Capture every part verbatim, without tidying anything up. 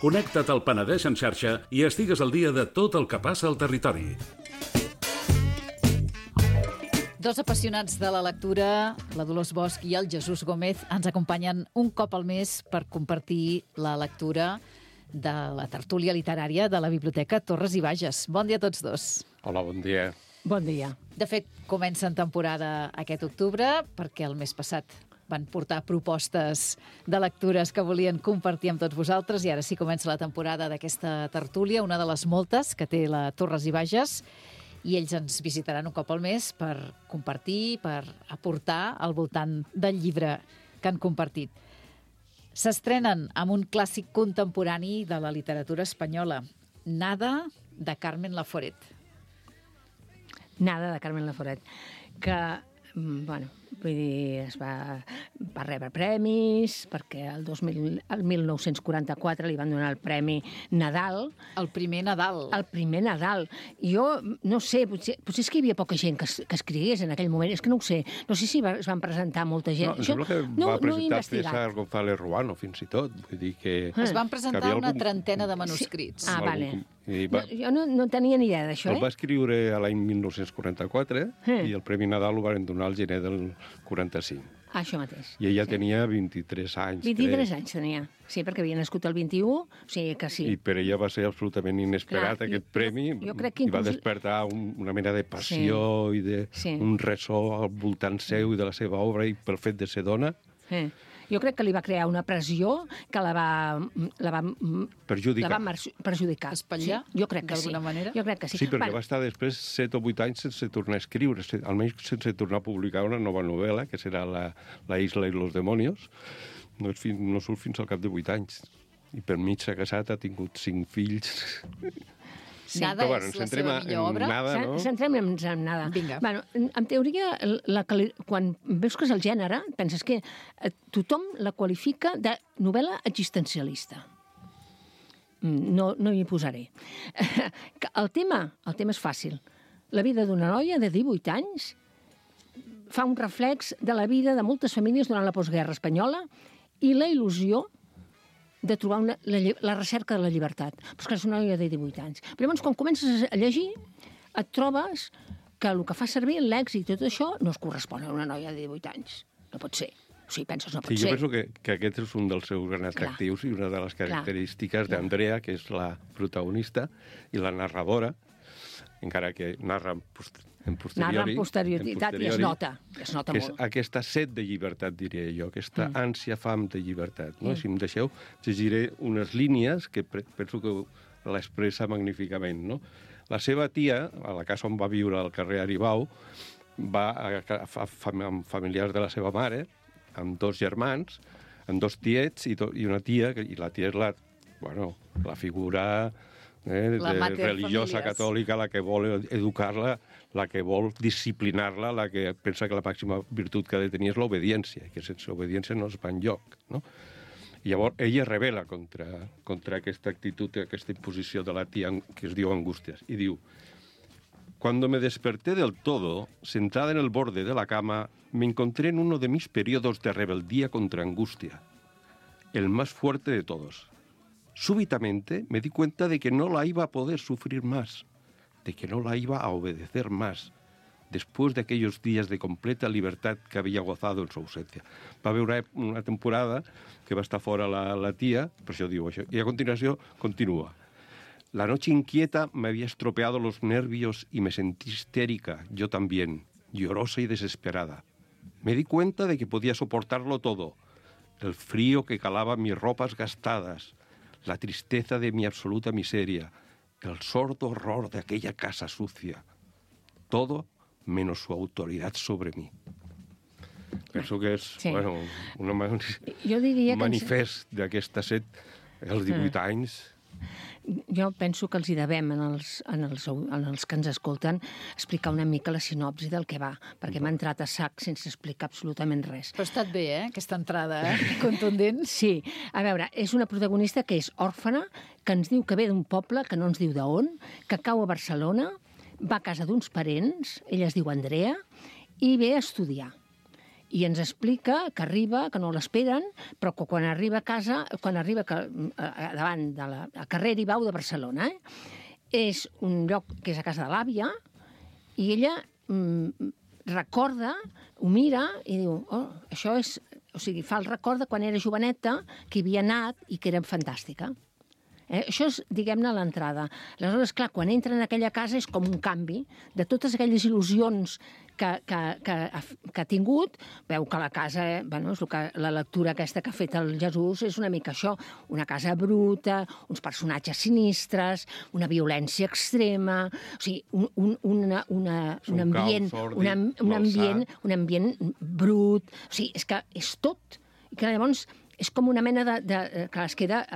Connecta't al Penedès en xarxa i estigues al dia de tot el que passa al territori. Dos apassionats de la lectura, la Dolors Bosch i el Jesús Gómez, ens acompanyen un cop al mes per compartir la lectura de la tertúlia literària de la Biblioteca Torres i Bages. Bon dia a tots dos. Hola, bon dia. Bon dia. De fet, comencen temporada aquest octubre, perquè el mes passat van portar propostes de lectures que volien compartir amb tots vosaltres i ara sí comença la temporada d'aquesta tertúlia, una de les moltes que té la Torres i Bages, i ells ens visitaran un cop al mes per compartir, per aportar al voltant del llibre que han compartit. S'estrenen amb un clàssic contemporani de la literatura espanyola, Nada, de Carmen Laforet. Nada, de Carmen Laforet, que, bueno, vull dir, es va, va rebre premis, perquè el, dos mil, el mil nou-cents quaranta-quatre li van donar el Premi Nadal. El primer Nadal. El primer Nadal. I jo, no sé, potser, potser és que hi havia poca gent que, que escrigués en aquell moment, és que no ho sé. No sé si va, es van presentar molta gent. No, sembla que no, va presentar no César González Ruano, fins i tot. Vull dir que... Es van presentar una algun... trentena de manuscrits. Sí. Ah, vale. I va... no, jo no, no tenia ni idea d'això, el eh? va escriure a l'any mil nou-cents quaranta-quatre eh. i el Premi Nadal ho van donar al gener del quaranta-cinc. Ah, això mateix. I ella sí. tenia vint-i-tres anys. vint-i-tres crec. anys tenia, sí, perquè havia nascut el vint-i-u, o sigui que sí. I per ella va ser absolutament inesperat Clar, aquest jo, premi jo crec que i va inclús... despertar un, una mena de passió sí. i de sí. un ressò al voltant seu i de la seva obra i pel fet de ser dona. Eh. Jo crec que li va crear una pressió que la va... La va perjudicar. La va perjudicar. Espatllar, sí, jo crec que sí. d'alguna manera? Jo crec que sí. Sí, perquè Va... va estar després set o vuit anys sense tornar a escriure, almenys sense tornar a publicar una nova novel·la, que serà La, la isla i los demonios. No, és fins, no surt fins al cap de vuit anys. I per mig s'ha casat, ha tingut cinc fills... Sí. Nada bueno, és la seva millor obra? Nada, no? Centrem en, en Nada. Vinga. Bueno, en teoria, la, quan veus que és el gènere, penses que tothom la qualifica de novel·la existencialista. No, no m'hi posaré. El tema, el tema és fàcil. La vida d'una noia de divuit anys fa un reflex de la vida de moltes famílies durant la postguerra espanyola i la il·lusió de trobar una, la, la recerca de la llibertat. Però és que és una noia de divuit anys. Però llavors, quan comences a llegir, et trobes que el que fa servir l'èxit i tot això no es correspon a una noia de divuit anys. No pot ser. O sigui, penses, no pot sí, ser. Jo penso que, que aquest és un dels seus grans atractius i una de les característiques d'Andrea, que és la protagonista i la narradora, encara que narra en posteriori. Narra en posterioritat i es nota. Es nota és molt. aquesta set de llibertat, diria jo, aquesta Mm. ànsia, fam de llibertat. No? Mm. Si em deixeu, llegiré unes línies que penso que l'expressa magníficament. No? La seva tia, a la casa on va viure al carrer Aribau, va a, a, a, amb familiars de la seva mare, amb dos germans, amb dos tiets i, to, i una tia, i la tia és la, bueno, la figura... Eh, La de religiosa familiars. catòlica, la que vol educar-la, la que vol disciplinar-la, la que pensa que la màxima virtut que ha de tenir és l'obediència, que sense obediència no es va enlloc, no? I llavors ella rebel·la contra, contra aquesta actitud, aquesta imposició de la tia que es diu Angustias, i diu: Cuando me desperté del todo, sentada en el borde de la cama, me encontré en uno de mis periodos de rebeldía contra Angustia, el más fuerte de todos. Súbitamente me di cuenta de que no la iba a poder sufrir más, de que no la iba a obedecer más, después de aquellos días de completa libertad que había gozado en su ausencia. Va haver una, una temporada que va estar fora la, la tia, per això diu això, i a continuació continua. La noche inquieta me había estropeado los nervios y me sentí histérica, yo también, llorosa y desesperada. Me di cuenta de que podía soportarlo todo, el frío que calaba mis ropas gastadas, la tristeza de mi absoluta miseria, el sordo horror de aquella casa sucia. Todo menos su autoridad sobre mí. Penso que és sí. bueno, una, jo diria un manifest ens... d'aquesta set, els divuit mm. anys. Jo penso que els hi devem en els, en, els, en els que ens escolten explicar una mica la sinopsi del que va, perquè m'ha entrat a sac sense explicar absolutament res. Però ha estat bé, eh?, aquesta entrada, eh? Contundent. Sí. A veure, és una protagonista que és òrfana, que ens diu que ve d'un poble, que no ens diu d'on, que cau a Barcelona, va a casa d'uns parents, ella es diu Andrea, i ve a estudiar. i ens explica que arriba, que no l'esperen, però que quan arriba a casa, quan arriba que, a, davant de la a carrer Ibau de Barcelona, eh, és un lloc que és a casa de l'àvia, i ella mm, recorda, ho mira i diu, oh, això és... O sigui, fa el record de quan era joveneta, que hi havia anat i que era fantàstica. Eh? Això és, diguem-ne, l'entrada. Aleshores, clar, quan entra en aquella casa és com un canvi de totes aquelles il·lusions que, que, que, ha, que ha tingut. Veu que la casa, eh, bueno, és el que, la lectura aquesta que ha fet el Jesús és una mica això, una casa bruta, uns personatges sinistres, una violència extrema, o sigui, un, un, una, una, un ambient, una, un, ambient, un ambient brut, o sigui, és que és tot. I que llavors és com una mena de... de que es queda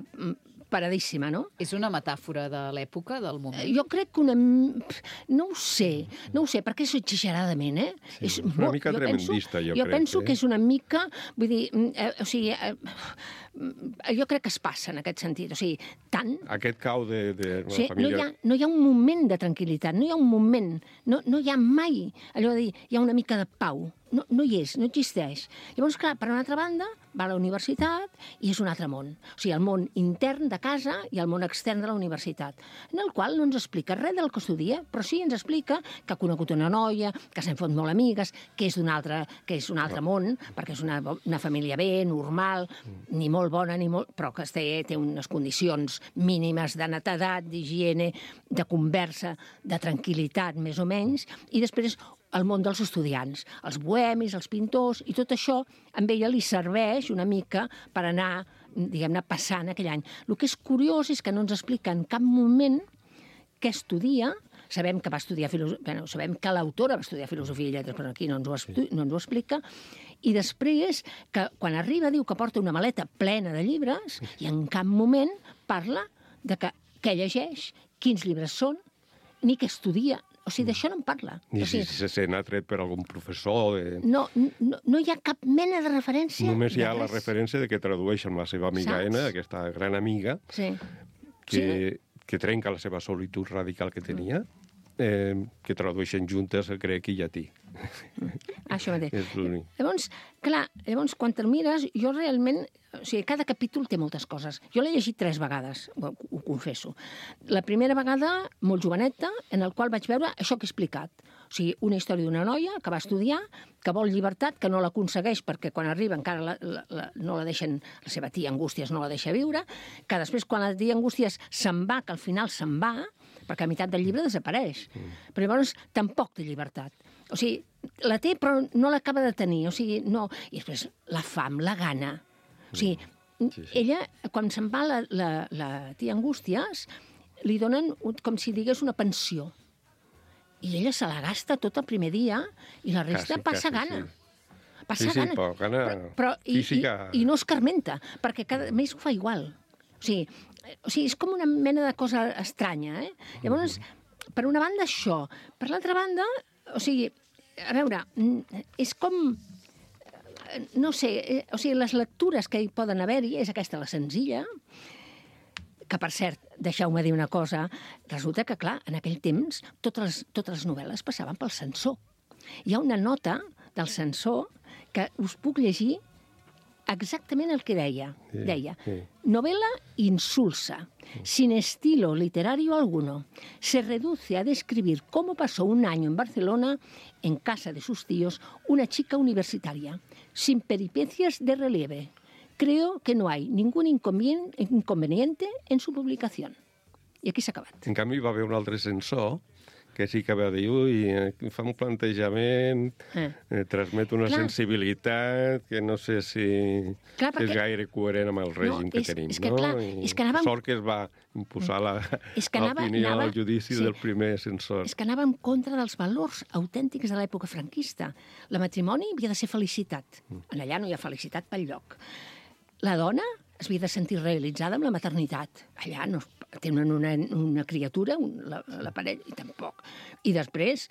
paradíssima, no? És una metàfora de l'època, del moment? Jo crec que una... No ho sé, no ho sé, perquè és exageradament, eh? Sí, és una mica jo tremendista, penso, jo, jo crec. Jo penso eh? que és una mica... Vull dir, eh, o sigui... Eh, jo crec que es passa en aquest sentit, o sigui, tant... Aquest cau de, de o sigui, família... No hi, ha, no hi ha un moment de tranquil·litat, no hi ha un moment, no, no hi ha mai allò de dir, hi ha una mica de pau. No, no hi és, no existeix. Llavors, clar, per una altra banda, va a la universitat i és un altre món. O sigui, el món intern de casa i el món extern de la universitat, en el qual no ens explica res del que estudia, però sí ens explica que ha conegut una noia, que s'han fet molt amigues, que és d'un altre, que és un altre món, perquè és una, una família bé, normal, ni molt bona, ni molt, però que té, té unes condicions mínimes de netedat, d'higiene, de conversa, de tranquil·litat, més o menys, i després el món dels estudiants, els bohemis, els pintors, i tot això amb ella li serveix una mica per anar, diguem-ne, passant aquell any. El que és curiós és que no ens explica en cap moment què estudia. Sabem que va estudiar filosofia, bueno, sabem que l'autora va estudiar filosofia i lletres, però aquí no ens, ho estu... no ens ho explica. I després, que quan arriba, diu que porta una maleta plena de llibres i en cap moment parla de que, què llegeix, quins llibres són, ni què estudia. O sigui, d'això no en parla. Ni o sigui, si se n'ha tret per algun professor. De... No, no, no hi ha cap mena de referència. Només hi ha de la referència de que tradueix amb la seva amiga Saps? Ena, aquesta gran amiga, Sí. que, Sí. que trenca la seva solitud radical que tenia, eh, que tradueixen juntes el grec i llatí. Això mateix. És l'únic. Llavors, clar, llavors, quan te'l mires, jo realment... O sigui, cada capítol té moltes coses. Jo l'he llegit tres vegades, ho, ho confesso. La primera vegada, molt joveneta, en el qual vaig veure això que he explicat. O sigui, una història d'una noia que va estudiar, que vol llibertat, que no l'aconsegueix perquè quan arriba encara la, la, la, no la deixen, la seva tia Angústies no la deixa viure, que després quan la tia Angústies se'n va, que al final se'n va, perquè a meitat del llibre desapareix. Mm. Però llavors tampoc té llibertat. O sigui, la té però no l'acaba de tenir. O sigui, no... I després la fam, la gana. O sigui, sí, sí. ella, quan se'n va la, la, la tia Angústies, li donen com si digués una pensió. I ella se la gasta tot el primer dia i la resta Quasi, passa quasi, gana. sí. Passa Sí, sí, gana. però gana però, però, i, física. I, I no es carmenta, perquè cada mes ho fa igual. O sigui, o sigui, és com una mena de cosa estranya, eh? Llavors, per una banda, això. Per l'altra banda, o sigui, a veure, és com... No sé, o sigui, les lectures que hi poden haver-hi, és aquesta la senzilla, que, per cert, deixeu-me dir una cosa, resulta que, clar, en aquell temps totes les, totes les novel·les passaven pel censor. Hi ha una nota del censor que us puc llegir exactament el que deia. Sí, deia, sí. Novela insulsa, sin estilo literario alguno. Se reduce a describir cómo pasó un año en Barcelona, en casa de sus tíos, una chica universitaria, sin peripecias de relieve. Creo que no hay ningún inconveniente en su publicación. I aquí s'ha acabat. En canvi, va haver un altre censor que sí que va dir, ui, fa un plantejament, eh. Eh, transmet una Clar. sensibilitat que no sé si Clar, perquè... és gaire coherent amb el règim no, que és, tenim, és que, no? Clar, I és que anàvem... sort que es va imposar la, és que anava, l'opinió anava... al judici sí. del primer censor. És que anava en contra dels valors autèntics de l'època franquista. La matrimoni havia de ser felicitat. En allà no hi ha felicitat pel lloc. La dona es havia de sentir realitzada amb la maternitat. Allà no tenen una, una criatura, un, la, la parella, i tampoc. I després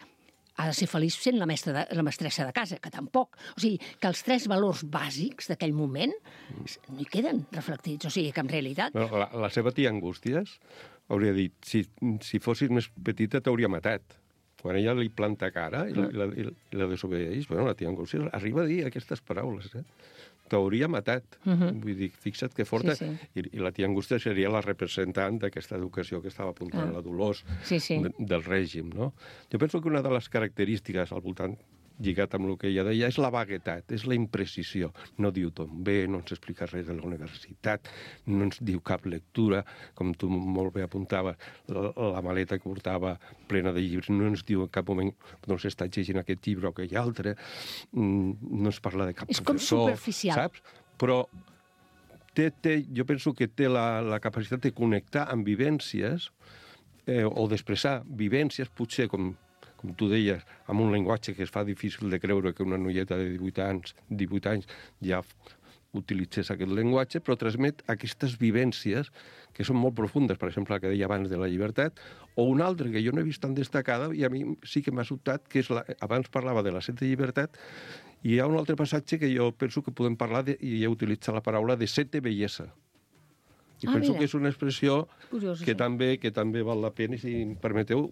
ha de ser feliç sent la, mestra de, la mestressa de casa, que tampoc. O sigui, que els tres valors bàsics d'aquell moment no hi queden reflectits. O sigui, que en realitat... Bueno, la, la seva tia Angústies hauria dit, si, si fossis més petita t'hauria matat. quan ella li planta cara i la, i la, i la desobedeix, bueno, la tia Angústia arriba a dir aquestes paraules, eh? T'hauria matat. Uh -huh. Vull dir, fixa't que forta. Sí, sí. I, I la tia Angústia seria la representant d'aquesta educació que estava apuntant ah. la Dolors sí, sí. De, del règim, no? Jo penso que una de les característiques al voltant lligat amb el que ella deia, és la vaguetat, és la imprecisió. No diu ton bé, no ens explica res de la universitat, no ens diu cap lectura, com tu molt bé apuntaves, la, la maleta que portava plena de llibres, no ens diu en cap moment no s'està llegint aquest llibre o aquell altre, no ens parla de cap és professor. És com superficial. Saps? Però té, té, jo penso que té la, la capacitat de connectar amb vivències eh, o d'expressar vivències, potser com com tu deies, amb un llenguatge que es fa difícil de creure que una noieta de divuit anys, divuit anys ja utilitzés aquest llenguatge, però transmet aquestes vivències que són molt profundes, per exemple, la que deia abans de la llibertat, o una altra que jo no he vist tan destacada i a mi sí que m'ha sobtat, que és la, abans parlava de la set de llibertat, i hi ha un altre passatge que jo penso que podem parlar, de, i he utilitzat la paraula, de set de bellesa. I ah, penso mira. que és una expressió Curiós, que, sí. també, que també val la pena, i si em permeteu,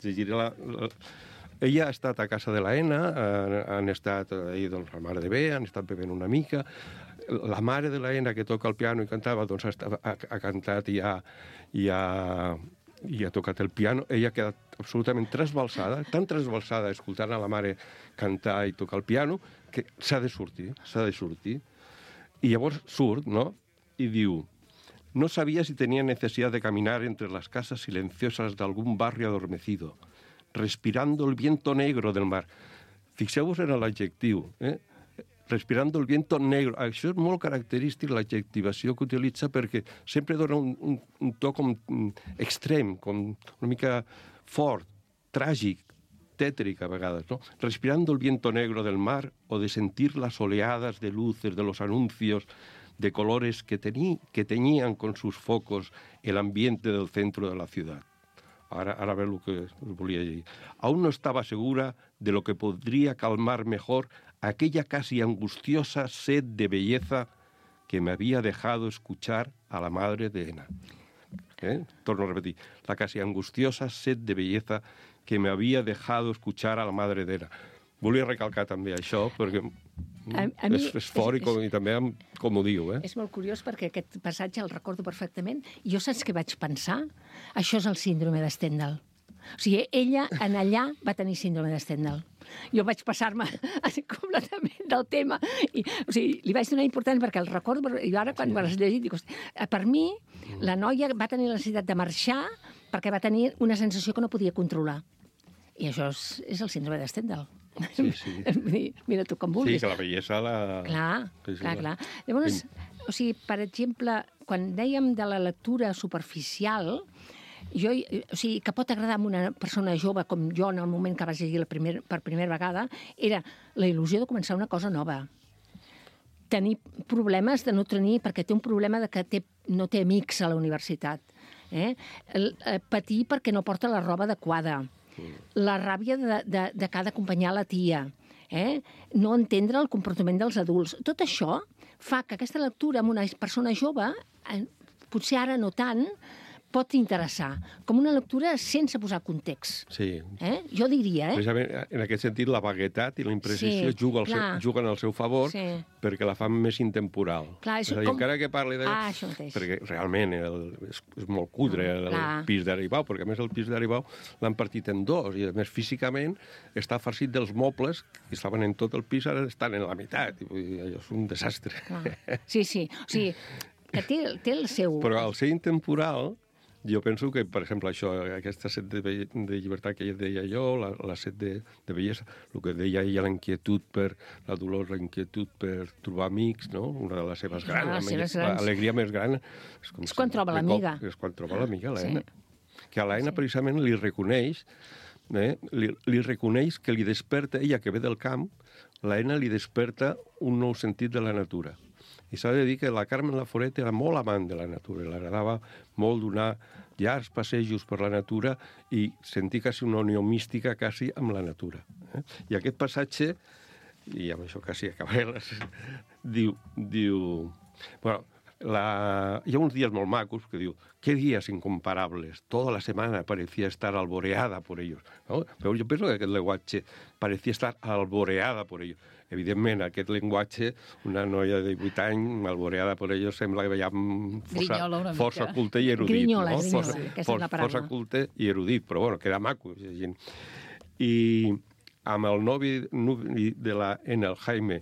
llegiré la, la... Ella ha estat a casa de l'Aena, han, han estat ahí, doncs, la mare de bé, han estat bevent una mica. La mare de l'Aena, que toca el piano i cantava, doncs ha, ha, ha cantat i ha, i, ha, i ha tocat el piano. Ella ha quedat absolutament trasbalsada, tan trasbalsada escoltant a la mare cantar i tocar el piano, que s'ha de sortir, s'ha de sortir. I llavors surt, no?, i diu: no sabía si tenía necesidad de caminar entre las casas silenciosas de algún barrio adormecido, respirando el viento negro del mar. Fixeu-vos en l'adjectiu, eh? Respirando el viento negro. Això és molt característic, l'adjectivació que utilitza, perquè sempre dona un, un, un to com extrem, com una mica fort, tràgic, tètric a vegades, ¿no? Respirando el viento negro del mar, o de sentir las oleadas de luces de los anuncios de colores que, tení, que teñían con sus focos el ambiente del centro de la ciudad. Ara, ara ve el que us volia dir. Aún no estaba segura de lo que podría calmar mejor aquella casi angustiosa sed de belleza que me había dejado escuchar a la madre de Ena. ¿Eh? Torno a repetir. La casi angustiosa sed de belleza que me había dejado escuchar a la madre de Ena. Volia recalcar també això, perquè a, a és, és fort és, i, com, i també com ho diu. Eh? És molt curiós perquè aquest passatge el recordo perfectament. I jo saps què vaig pensar? Això és el síndrome de Stendhal. O sigui, ella en allà va tenir síndrome de Stendhal. Jo vaig passar-me completament del tema. I, o sigui, li vaig donar important perquè el recordo... I ara, quan sí. me l'has llegit, dic, per mi, la noia va tenir la necessitat de marxar perquè va tenir una sensació que no podia controlar. I això és, és el síndrome de Stendhal. Sí, sí. Mira tu com vulguis. Sí, que la bellesa la... Clar, sí, sí, clar, la... clar. Llavors, o sigui, per exemple, quan dèiem de la lectura superficial, jo, o sigui, que pot agradar a una persona jove com jo en el moment que vaig llegir la primer, per primera vegada, era la il·lusió de començar una cosa nova. Tenir problemes de no tenir, perquè té un problema de que té, no té amics a la universitat. Eh? El, eh, patir perquè no porta la roba adequada. La ràbia de, de, de cada acompanyar la tia, eh? No entendre el comportament dels adults. Tot això fa que aquesta lectura amb una persona jove, eh, potser ara no tant, pot interessar, com una lectura sense posar context. Sí. Eh? Jo diria, eh? Precisament, en aquest sentit, la vaguetat i la imprecisió sí, juga seu, juguen al seu favor sí. perquè la fan més intemporal. Clar, és a dir, com... encara que parli de... Ah, això mateix. Perquè realment el, és, és molt cutre el, el pis d'Aribau, perquè a més el pis d'Aribau l'han partit en dos, i a més físicament està farcit dels mobles que estaven en tot el pis, ara estan en la meitat. I vull dir, allò és un desastre. Clar. Sí, sí. O sigui, que té, té el seu... Però al ser intemporal... Jo penso que, per exemple, això, aquesta set de, de llibertat que ja deia jo, la, la set de, de bellesa, el que deia ella, la inquietud per la Dolors, la inquietud per trobar amics, no? Una de les seves grans, ah, les l'alegria més gran... És, és quan troba l'amiga. És quan troba l'amiga, l'Aena. Sí. Que a l'Aena sí. precisament li reconeix, eh, li, li reconeix que li desperta, ella que ve del camp, l'Aena li desperta un nou sentit de la natura. I s'ha de dir que la Carmen Laforet era molt amant de la natura, li agradava molt donar llargs passejos per la natura i sentir quasi una unió mística quasi amb la natura. Eh? I aquest passatge, i amb això quasi acabaré, diu, diu... Bueno, La... Hi ha uns dies molt macos que diu, qué días incomparables, toda la semana parecía estar alboreada por ellos. No? Però jo penso que aquest llenguatge parecía estar alboreada por ellos. Evidentment, aquest llenguatge, una noia de divuit anys, alboreada per ells, sembla que veiem força, força culte i erudit. Grinyola, no? grinyola, força, aquesta for, és la paraula. Força culte i erudit, però bueno, queda maco. I amb el novi de la Ena, el Jaime,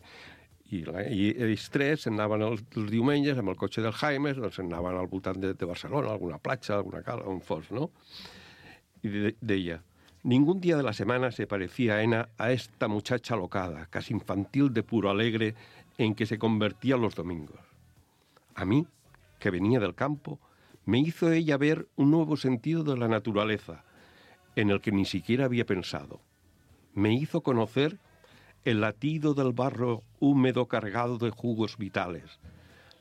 i, la, i ells tres anaven els, els diumenges amb el cotxe del Jaime, doncs anaven al voltant de, de Barcelona, alguna platja, alguna cala, on fos, no? I de, deia, ningún día de la semana se parecía a Ena a esta muchacha alocada, casi infantil de puro alegre, en que se convertía los domingos. A mí, que venía del campo, me hizo ella ver un nuevo sentido de la naturaleza, en el que ni siquiera había pensado. Me hizo conocer el latido del barro húmedo cargado de jugos vitales,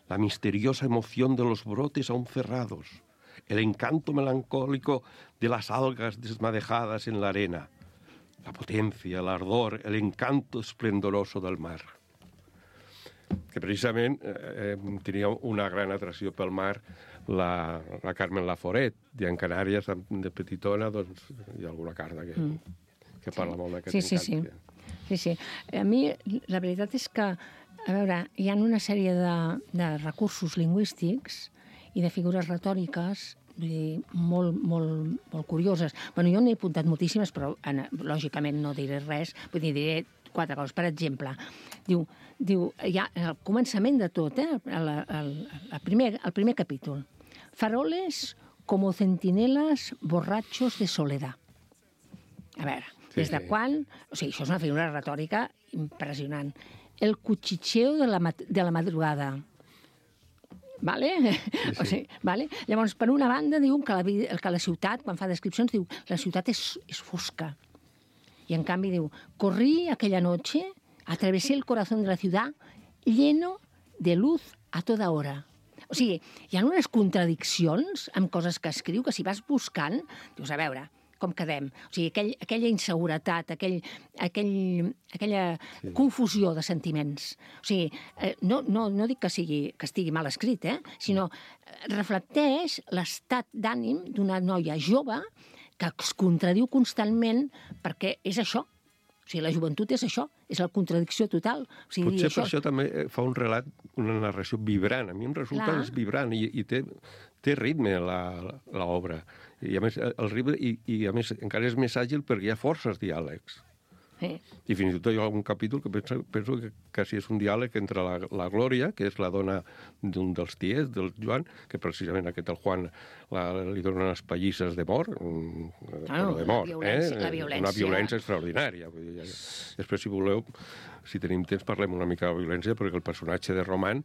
la misteriosa emoción de los brotes aún cerrados, el encanto melancólico de las algas desmadejadas en la arena, la potencia, el ardor, el encanto esplendoroso del mar. Que precisament eh, tenia una gran atracció pel mar la, la Carmen Laforet, i en Canàries, de petitona, doncs, hi ha alguna carta que, mm. que parla sí. molt d'aquest sí, sí, encant. Sí. Sí, sí. A mi, la veritat és que, a veure, hi ha una sèrie de, de recursos lingüístics i de figures retòriques vull dir, molt, molt, molt curioses. Bueno, jo n'he apuntat moltíssimes, però en, lògicament no diré res, vull dir, diré quatre coses. Per exemple, diu, diu ja, al començament de tot, eh, el, el, el, primer, el primer capítol, faroles como centinelas borrachos de soledad. A veure, sí, des de sí. quan... O sigui, això és una figura retòrica impressionant. El cuchicheo de la, de la madrugada. Vale? Sí, sí. O sigui, vale? Llavors, per una banda, diuen que la, que la ciutat, quan fa descripcions, diu la ciutat és, és fosca. I en canvi diu, corrí aquella noche, atravesé el corazón de la ciudad, lleno de luz a toda hora. O sigui, hi ha unes contradiccions amb coses que escriu, que si vas buscant, dius, a veure, com quedem? O sigui, aquell, aquella inseguretat, aquell, aquell, aquella sí. confusió de sentiments. O sigui, eh, no, no, no dic que, sigui, que estigui mal escrit, eh? Sinó reflecteix l'estat d'ànim d'una noia jove que es contradiu constantment perquè és això. O sigui, la joventut és això, és la contradicció total. O sigui, potser això... per això també fa un relat, una narració vibrant. A mi em resulta que és vibrant i, i té, té ritme l'obra. I a més, el ritme, i, i a més encara és més àgil perquè hi ha forces diàlegs. Sí. I fins i tot hi ha algun capítol que penso, penso que quasi és un diàleg entre la, la Glòria, que és la dona d'un dels tiets, del Joan, que precisament aquest, el Juan, la, li dona unes pallisses de mort, ah, de mort, la violència, eh? la violència. Una violència extraordinària. Vull dir, ja, després, si voleu, si tenim temps, parlem una mica de la violència, perquè el personatge de Roman,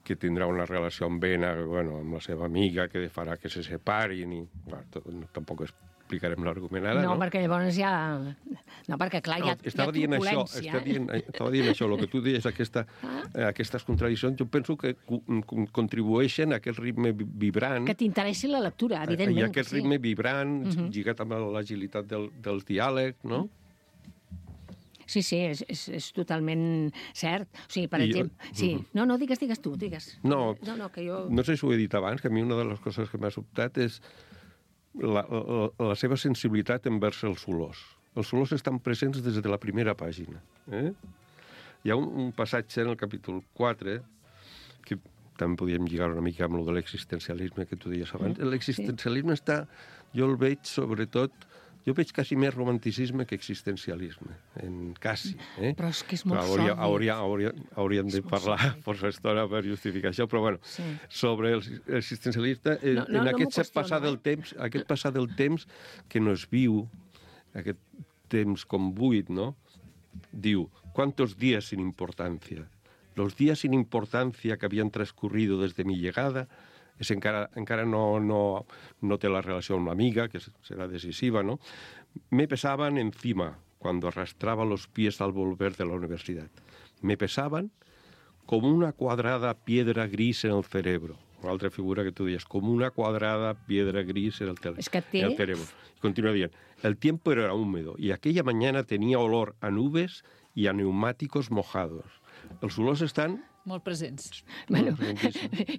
que tindrà una relació amb Ena, bueno, amb la seva amiga, que farà que se separin, i bueno, tot, tampoc explicarem l'argument ara, no? No, perquè llavors ja... No, perquè clar, hi ha, no, hi ha truculència. Això, estava, dient, estava dient això, el que tu deies, aquesta, ah? aquestes contradiccions, jo penso que contribueixen a aquest ritme vibrant... Que t'interessi la lectura, evidentment. I aquest sí. ritme vibrant, uh -huh. lligat amb l'agilitat del, dels diàlegs, no? Sí, sí, és, és, és totalment cert. O sigui, per I exemple... Jo... Sí. Uh -huh. No, no, digues, digues tu, digues. No, no, no, que jo... no sé si ho he dit abans, que a mi una de les coses que m'ha sobtat és la, la, la seva sensibilitat envers els olors. Els olors estan presents des de la primera pàgina. Eh? Hi ha un, un passatge en el capítol quatre que també podíem lligar una mica amb el de l'existencialisme que tu deies abans. Mm, l'existencialisme sí. està... Jo el veig, sobretot... Jo veig quasi més romanticisme que existencialisme, en quasi. Eh? Però és que és molt hauria, sòlid. Hauria, hauria, hauríem de parlar força estona per justificar això, però bueno, sí. sobre l'existencialista, eh, no, no, en aquest no passar del temps, aquest passar del temps que no es viu, aquest temps com buit, ¿no? Diu, ¿cuántos días sin importancia? Los días sin importancia que habían transcurrido desde mi llegada és encara, encara no, no, no té la relació amb l'amiga, que serà decisiva, ¿no? Me pesaban encima cuando arrastraba los pies al volver de la universidad. Me pesaban como una cuadrada piedra gris en el cerebro. Una altra figura que tu deies, como una cuadrada piedra gris en el, es que té... en el cerebro. Y continúa dient, el tiempo era húmedo y aquella mañana tenía olor a nubes y a neumáticos mojados. Els olors estan molt presents. Bueno,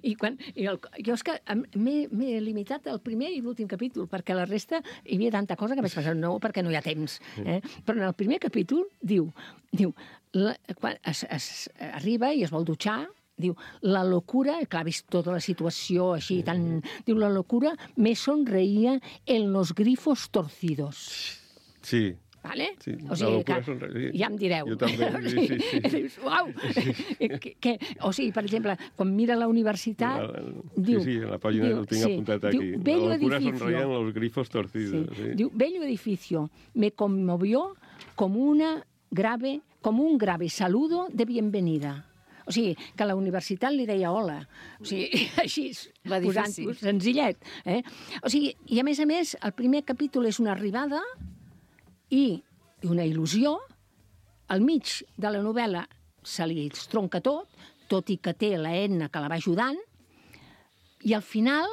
i quan, i el, jo és que m'he limitat al primer i l'últim capítol, perquè la resta hi havia tanta cosa que vaig pensar, no, perquè no hi ha temps. Eh? Però en el primer capítol diu, diu la, quan es, es arriba i es vol dutxar, diu, la locura, clar, ha vist tota la situació així, tan... Diu, la locura me sonreía en los grifos torcidos. Sí. Vale? Sí, o sigui, que sonreïa. ja em direu. Jo també, sí, sí. sí. Dius, uau! que, que, o sigui, per exemple, quan mira la universitat... La, la, diu, sí, sí, en la pàgina diu, el tinc sí, apuntat diu, aquí. bello La locura edificio. sonreía en los grifos torcidos. Sí. Sí. Diu, bello edificio, me conmovió como, una grave, como un grave saludo de bienvenida. O sigui, que la universitat li deia hola. O sigui, així, posant-ho senzillet. Eh? O sigui, i a més a més, el primer capítol és una arribada i una il·lusió. Al mig de la novel·la se li estronca tot, tot i que té la Edna que la va ajudant, i al final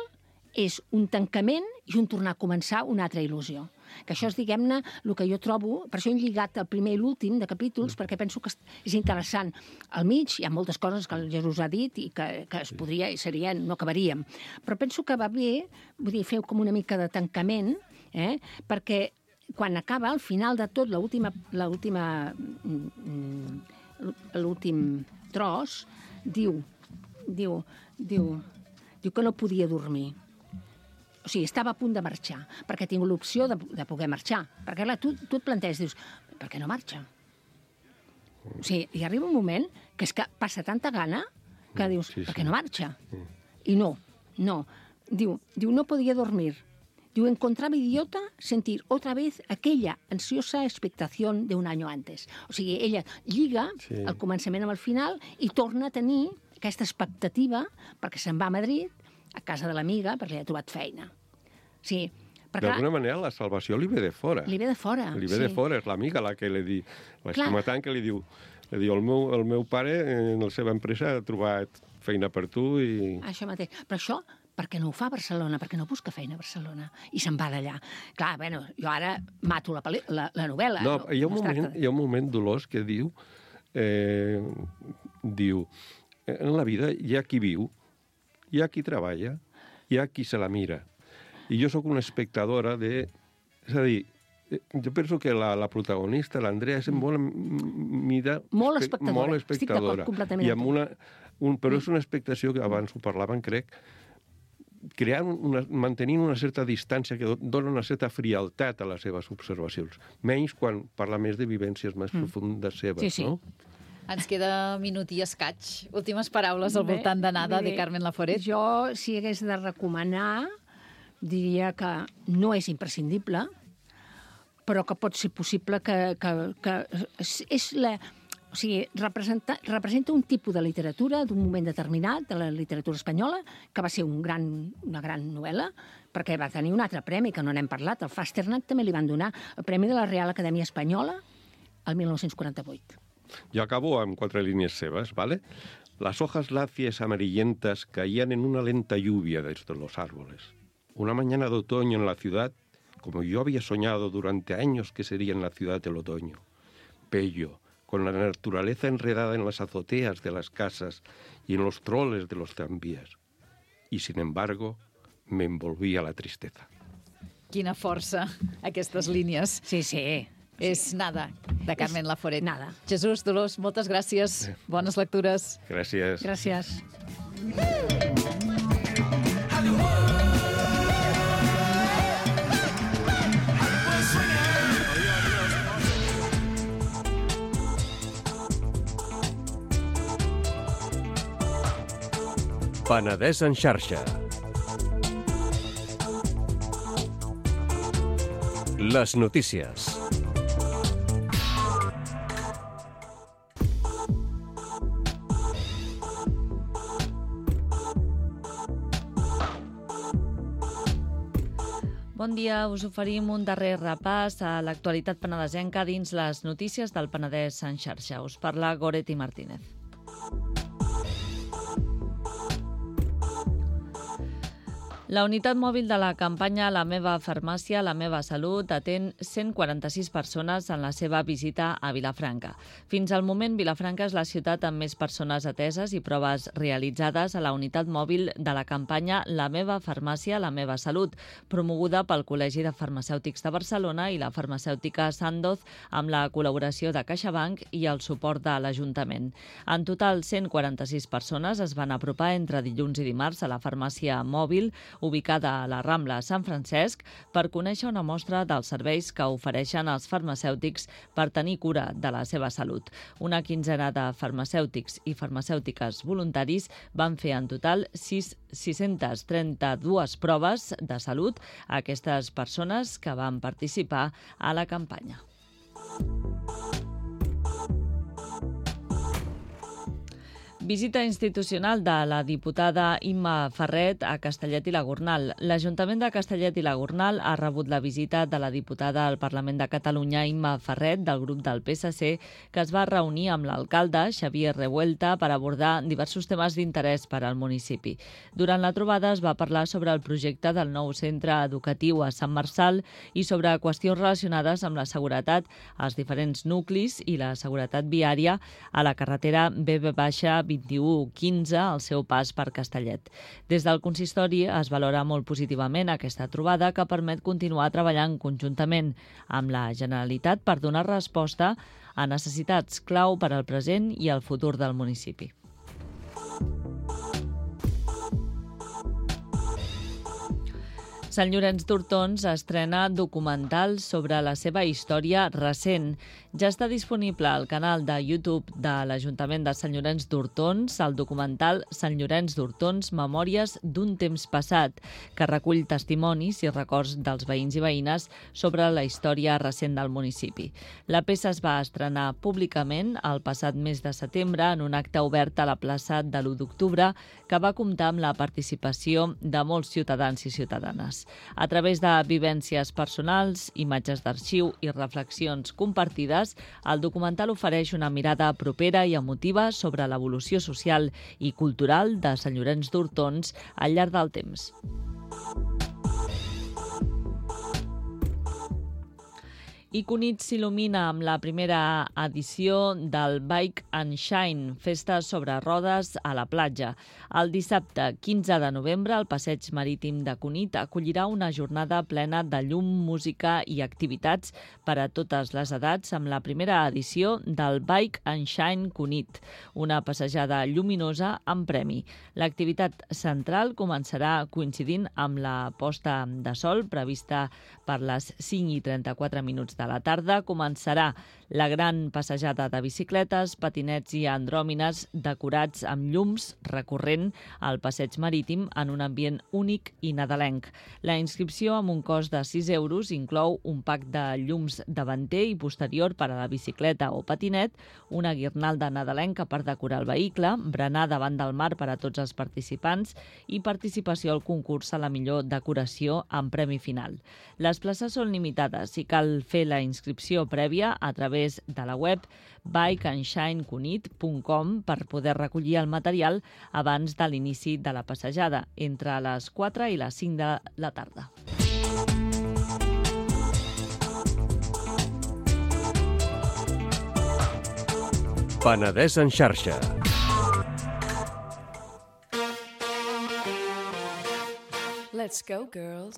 és un tancament i un tornar a començar una altra il·lusió. Que això és, diguem-ne, el que jo trobo... Per això he lligat el primer i l'últim de capítols, perquè penso que és interessant. Al mig hi ha moltes coses que el Jesús ha dit i que, que es podria, i seria, no acabaríem. Però penso que va bé, vull dir, fer com una mica de tancament, eh? Perquè quan acaba, al final de tot, l'última l'últim tros, diu, diu, diu, diu que no podia dormir. O sigui, estava a punt de marxar, perquè tinc l'opció de, de poder marxar. Perquè, clar, tu, tu et planteges, dius, per què no marxa? O sigui, hi arriba un moment que és que passa tanta gana que dius, sí, sí. per què no marxa? I no, no. Diu, diu, no podia dormir. Diu, encontraba idiota sentir otra vez aquella ansiosa expectación de un año antes. O sigui, ella lliga sí. el començament amb el final i torna a tenir aquesta expectativa perquè se'n va a Madrid, a casa de l'amiga, perquè li ha trobat feina. Sí, d'alguna manera la salvació li ve de fora. Li ve de fora, Li ve sí. de fora, és l'amiga la que li diu, l'escomatant que li diu, li diu, el meu, el meu pare en la seva empresa ha trobat feina per tu i... Això mateix. Però això, per què no ho fa a Barcelona? Per què no busca feina a Barcelona? I se'n va d'allà. Clar, bueno, jo ara mato la, la, la novel·la. No, no, hi, ha un no moment, hi ha un moment, Dolors, que diu, eh, diu, en la vida hi ha qui viu, hi ha qui treballa, hi ha qui se la mira. I jo sóc una espectadora de... És a dir, jo penso que la, la protagonista, l'Andrea, és molt mida... Molt espectadora. Molt espectadora. Estic d'acord completament. I amb una, un, però és una expectació que abans ho parlaven, crec, creant una, mantenint una certa distància que dona una certa frialtat a les seves observacions. Menys quan parla més de vivències més mm. profundes seves, sí, sí. no? Ens queda minut i escaig. Últimes paraules al voltant de Nada, de Carmen Laforet. Jo, si hagués de recomanar, diria que no és imprescindible, però que pot ser possible que... que, que és la, o sigui, representa, representa un tipus de literatura d'un moment determinat, de la literatura espanyola, que va ser un gran, una gran novel·la, perquè va tenir un altre premi, que no n'hem parlat. El Fasternach també li van donar el Premi de la Real Acadèmia Espanyola el mil nou-cents quaranta-vuit. Yo acabo en cuatro líneas sebas, ¿vale? Las hojas lacias amarillentas caían en una lenta lluvia desde los árboles. Una mañana de otoño en la ciudad, como yo había soñado durante años que sería en la ciudad del otoño. Bello, con la naturaleza enredada en las azoteas de las casas y en los troles de los tranvías. Y, sin embargo, me envolvía la tristeza. Quina força, aquestes línies. Sí, sí. És Nada, de Carmen Laforet. Nada. Jesús, Dolors, moltes gràcies. Bones lectures. Gràcies. Gràcies. Penedès en xarxa. Les notícies. Bon dia, us oferim un darrer repàs a l'actualitat penedesenca dins les notícies del Penedès en xarxa. Us parla Goretti Martínez. La unitat mòbil de la campanya La meva farmàcia, la meva salut atén cent quaranta-sis persones en la seva visita a Vilafranca. Fins al moment, Vilafranca és la ciutat amb més persones ateses i proves realitzades a la unitat mòbil de la campanya La meva farmàcia, la meva salut, promoguda pel Col·legi de Farmacèutics de Barcelona i la farmacèutica Sandoz amb la col·laboració de CaixaBank i el suport de l'Ajuntament. En total, cent quaranta-sis persones es van apropar entre dilluns i dimarts a la farmàcia mòbil ubicada a la Rambla Sant Francesc, per conèixer una mostra dels serveis que ofereixen els farmacèutics per tenir cura de la seva salut. Una quinzena de farmacèutics i farmacèutiques voluntaris van fer en total sis-centes trenta-dues proves de salut a aquestes persones que van participar a la campanya. Visita institucional de la diputada Imma Ferret a Castellet i la Gornal. L'Ajuntament de Castellet i la Gornal ha rebut la visita de la diputada al Parlament de Catalunya Imma Ferret, del grup del P S C, que es va reunir amb l'alcalde Xavier Revuelta per abordar diversos temes d'interès per al municipi. Durant la trobada es va parlar sobre el projecte del nou centre educatiu a Sant Marçal i sobre qüestions relacionades amb la seguretat als diferents nuclis i la seguretat viària a la carretera B B vint-i-u quinze al seu pas per Castellet. Des del consistori es valora molt positivament aquesta trobada que permet continuar treballant conjuntament amb la Generalitat per donar resposta a necessitats clau per al present i al futur del municipi. Sant Llorenç d'Hortons estrena documental sobre la seva història recent. Ja està disponible al canal de YouTube de l'Ajuntament de Sant Llorenç d'Hortons el documental Sant Llorenç d'Hortons, Memòries d'un temps passat, que recull testimonis i records dels veïns i veïnes sobre la història recent del municipi. La peça es va estrenar públicament el passat mes de setembre en un acte obert a la plaça de l'u d'octubre que va comptar amb la participació de molts ciutadans i ciutadanes. A través de vivències personals, imatges d'arxiu i reflexions compartides, el documental ofereix una mirada propera i emotiva sobre l'evolució social i cultural de Sant Llorenç d'Hortons al llarg del temps. I Cunit s'il·lumina amb la primera edició del Bike and Shine, festa sobre rodes a la platja. El dissabte quinze de novembre, el passeig marítim de Cunit acollirà una jornada plena de llum, música i activitats per a totes les edats amb la primera edició del Bike and Shine Cunit, una passejada lluminosa amb premi. L'activitat central començarà coincidint amb la posta de sol prevista per les cinc i trenta-quatre minuts de la tarda. Començarà la gran passejada de bicicletes, patinets i andròmines decorats amb llums recorrent al passeig marítim en un ambient únic i nadalenc. La inscripció, amb un cost de sis euros, inclou un pack de llums davanter i posterior per a la bicicleta o patinet, una guirnalda nadalenca per decorar el vehicle, berenar davant del mar per a tots els participants i participació al concurs a la millor decoració amb premi final. Les places són limitades i cal fer la inscripció prèvia a través de la web bike and shine cunit punt com per poder recollir el material abans de l'inici de la passejada, entre les quatre i les cinc de la tarda. Penedès en xarxa. Let's go, girls.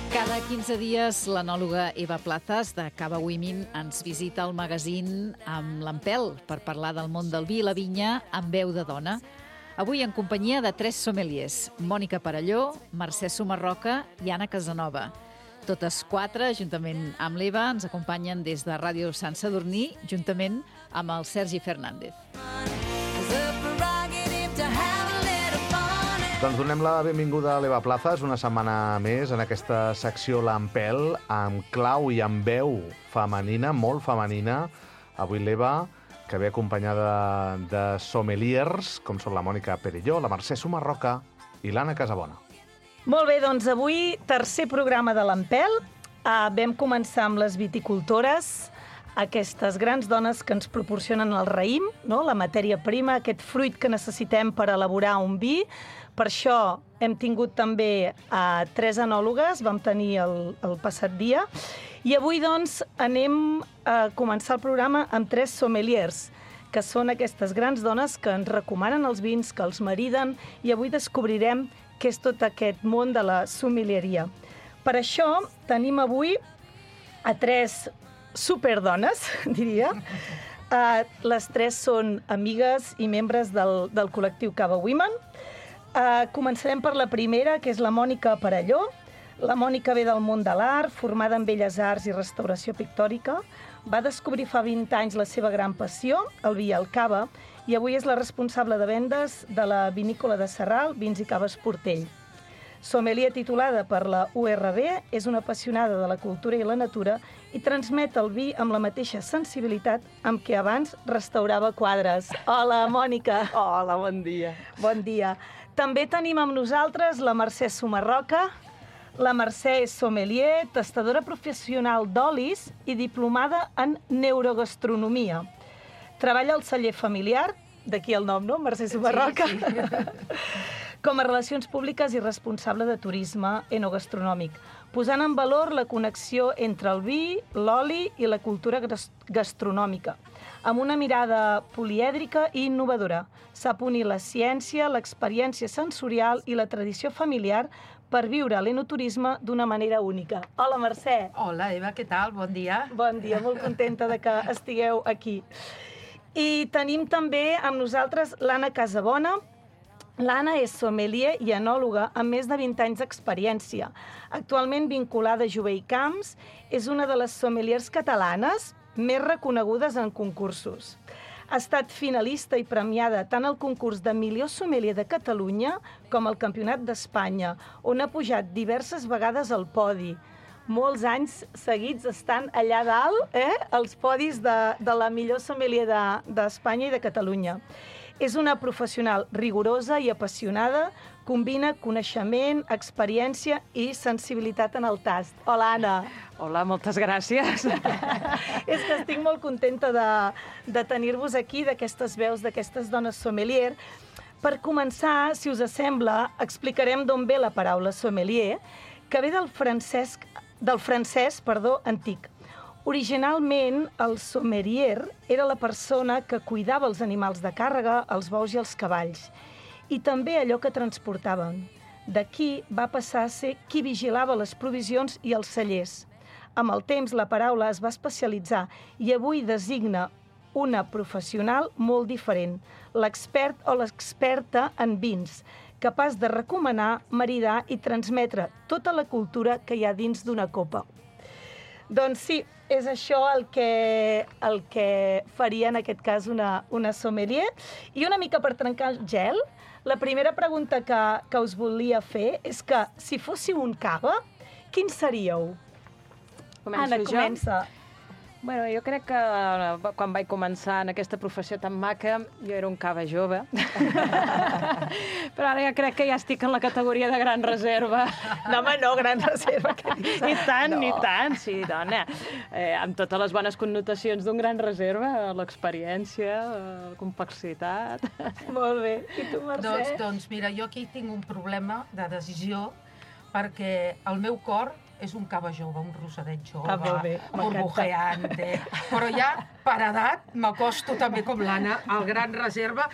Cada quinze dies, l'anòloga Eva Plazas, de Cava Women, ens visita al magazín amb l'Empel per parlar del món del vi i la vinya amb veu de dona. Avui en companyia de tres sommeliers, Mònica Parelló, Mercè Sumarroca i Anna Casanova. Totes quatre, juntament amb l'Eva, ens acompanyen des de Ràdio Sant Sadurní, juntament amb el Sergi Fernández. Doncs donem la benvinguda a l'Eva Plazas una setmana més en aquesta secció L'Empel, amb clau i amb veu femenina, molt femenina. Avui l'Eva, que ve acompanyada de sommeliers, com són la Mònica Parelló, la Mercè Sumarroca i l'Anna Casabona. Molt bé, doncs avui tercer programa de l'Empel. Uh, vam començar amb les viticultores, aquestes grans dones que ens proporcionen el raïm, no? La matèria prima, aquest fruit que necessitem per elaborar un vi. Per això hem tingut també uh, tres enòlogues, vam tenir el, el passat dia, i avui doncs anem a començar el programa amb tres sommeliers, que són aquestes grans dones que ens recomanen els vins, que els mariden, i avui descobrirem què és tot aquest món de la sommelieria. Per això tenim avui a tres superdones, diria. Uh, les tres són amigues i membres del, del col·lectiu Cava Women. Uh, començarem per la primera, que és la Mònica Perelló. La Mònica ve del món de l'art, formada en Belles Arts i restauració pictòrica. Va descobrir fa vint anys la seva gran passió, el vi i el cava, i avui és la responsable de vendes de la vinícola de Sarral, Vins i Caves Portell. Sommelier titulada per la U R B, és una apassionada de la cultura i la natura i transmet el vi amb la mateixa sensibilitat amb què abans restaurava quadres. Hola, Mònica. Hola, bon dia. Bon dia. També tenim amb nosaltres la Mercè Sumarroca. La Mercè és sommelier, tastadora professional d'olis i diplomada en neurogastronomia. Treballa al celler familiar, d'aquí el nom, no? Mercè Sumarroca. Sí, sí. Com a relacions públiques i responsable de turisme enogastronòmic, posant en valor la connexió entre el vi, l'oli i la cultura gastronòmica, amb una mirada polièdrica i innovadora. Sap unir la ciència, l'experiència sensorial i la tradició familiar per viure l'enoturisme d'una manera única. Hola, Mercè. Hola, Eva, què tal? Bon dia. Bon dia, molt contenta de que estigueu aquí. I tenim també amb nosaltres l'Anna Casabona. L'Anna és sommelier i enòloga amb més de vint anys d'experiència. Actualment vinculada a Jové i Camps, és una de les sommeliers catalanes més reconegudes en concursos. Ha estat finalista i premiada tant al concurs de millor sommelier de Catalunya com al Campionat d'Espanya, on ha pujat diverses vegades al podi. Molts anys seguits estan allà dalt, eh, els podis de, de la millor sommelier d'Espanya de, i de Catalunya. És una professional rigorosa i apassionada, combina coneixement, experiència i sensibilitat en el tast. Hola, Anna. Hola, moltes gràcies. És que estic molt contenta de, de tenir-vos aquí, d'aquestes veus, d'aquestes dones sommelier. Per començar, si us sembla, explicarem d'on ve la paraula sommelier, que ve del francès, del francès perdó, antic. Originalment, el sommelier era la persona que cuidava els animals de càrrega, els bous i els cavalls, i també allò que transportaven. D'aquí va passar a ser qui vigilava les provisions i els cellers. Amb el temps, la paraula es va especialitzar i avui designa una professional molt diferent, l'expert o l'experta en vins, capaç de recomanar, maridar i transmetre tota la cultura que hi ha dins d'una copa. Doncs sí, és això el que, el que faria en aquest cas una, una sommelier. I una mica per trencar el gel, la primera pregunta que, que us volia fer és que si fóssiu un cava, quin seríeu? Començo Anna, jo? comença. Bueno, jo crec que quan vaig començar en aquesta professió tan maca, jo era un cava jove. Però ara ja crec que ja estic en la categoria de gran reserva. No, home, no, gran reserva. I tant, no. I tant, sí, dona. Eh, amb totes les bones connotacions d'un gran reserva, l'experiència, la complexitat... Molt bé. I tu, Mercè? Doncs, doncs mira, jo aquí tinc un problema de decisió perquè el meu cor és un cava jove, un rosadet jove, ah, burbujeante, però ja per edat m'acosto també com l'Anna al gran reserva,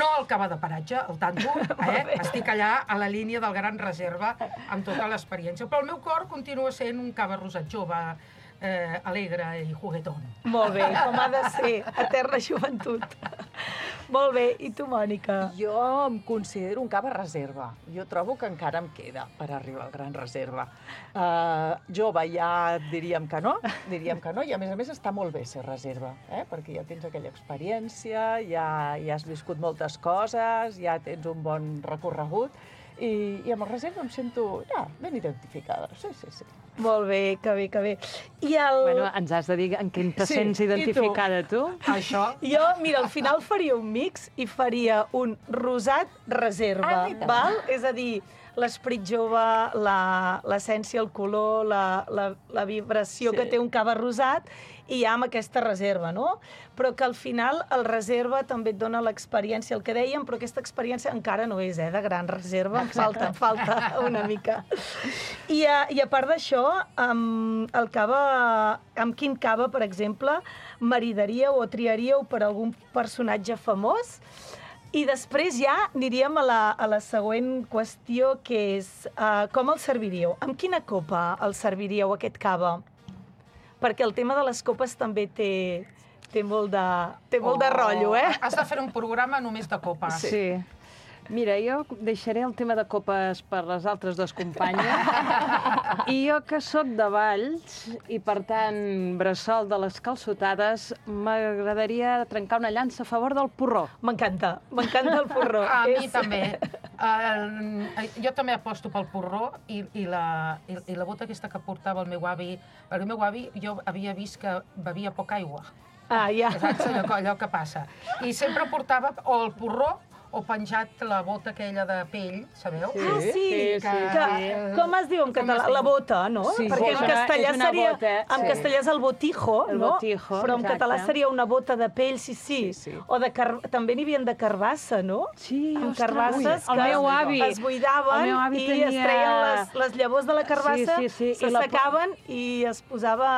no al cava de paratge, el tanto, eh? Estic allà a la línia del gran reserva amb tota l'experiència, però el meu cor continua sent un cava rosat jove, eh, alegre i juguetón. Molt bé, com ha de ser, eterna joventut. Molt bé, i tu, Mònica? Jo em considero un cava reserva. Jo trobo que encara em queda per arribar al gran reserva. Uh, jove ja diríem que no, diríem que no, i a més a més està molt bé ser reserva, eh? Perquè ja tens aquella experiència, ja, ja has viscut moltes coses, ja tens un bon recorregut, i, i amb el reserva em sento ja, ben identificada. Sí, sí, sí. Molt bé, que bé, que bé. I el... Bueno, ens has de dir en què te Sí, sents i tu? identificada, tu? Això. Jo, mira, al final faria un mix i faria un rosat reserva, Ah, val? És a dir, l'esperit jove, la- l'essència, el color, la, la, la vibració Sí. que té un cava rosat, i ja amb aquesta reserva, no? Però que al final el reserva també et dona l'experiència, el que dèiem, però aquesta experiència encara no és, eh, de gran reserva, em falta, em falta una mica. I a, i a part d'això, amb el cava, amb quin cava, per exemple, maridaríeu o triaríeu per algun personatge famós? I després ja aniríem a la, a la següent qüestió, que és uh, com el serviríeu? Amb quina copa el serviríeu, aquest cava? Perquè el tema de les copes també té, té molt de, té molt de rotllo, eh? Has de fer un programa només de copes. Sí. Mira, jo deixaré el tema de copes per les altres dues companyes. I jo, que sóc de Valls, i per tant bressol de les calçotades, m'agradaria trencar una llança a favor del porró. M'encanta, m'encanta el porró. A mi És- també. Uh, jo també aposto pel porró i, i, la, i, i la bota aquesta que portava el meu avi. El meu avi, jo havia vist que bevia poca aigua. Ah, ja. Saps allò, allò que passa. I sempre portava o el porró o penjat la bota aquella de pell, sabeu? Ah, sí, sí, que, sí. com es diu en Com català? es diu? La bota, no? Sí, Perquè és en una- castellà és una seria... bota, En sí. castellà és el botijo, El no? botijo, Però en exacte. català seria una bota de pell, sí, sí. Sí, sí. O de car... també n'hi havia de carbassa, no? Sí, Amb ostres, carbasses ui, el meu avi- es buidaven el meu avi i tenia- es treien les, les llavors de la carbassa, Sí, sí, sí, i la- s'assecaven i es posava